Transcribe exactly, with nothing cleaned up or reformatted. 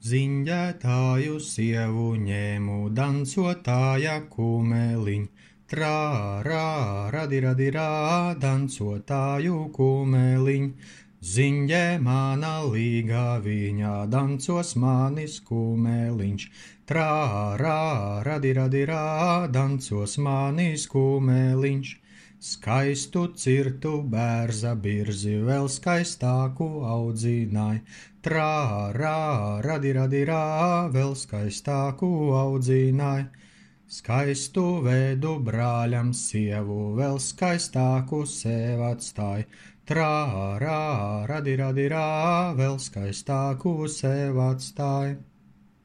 Ziņģētāju sievu ņēmu dancotāja kumeliņ, trā, rā, radi, radi, rā, dancotāju kumeliņ. Ziņģē mana līga viņa dancos manis kumeliņš, trā, rā, radi, radi, rā, dancos manis kumeliņš. Skaistu cirtu bērza birzi vēl skaistāku audzināja, trā, rā, radi, radi, rā, vēl skaistāku audzināja. Skaistu vedu brāļam sievu vēl skaistāku sev atstāja, trā, rā, radi, radi, rā, vēl skaistāku sev atstāja.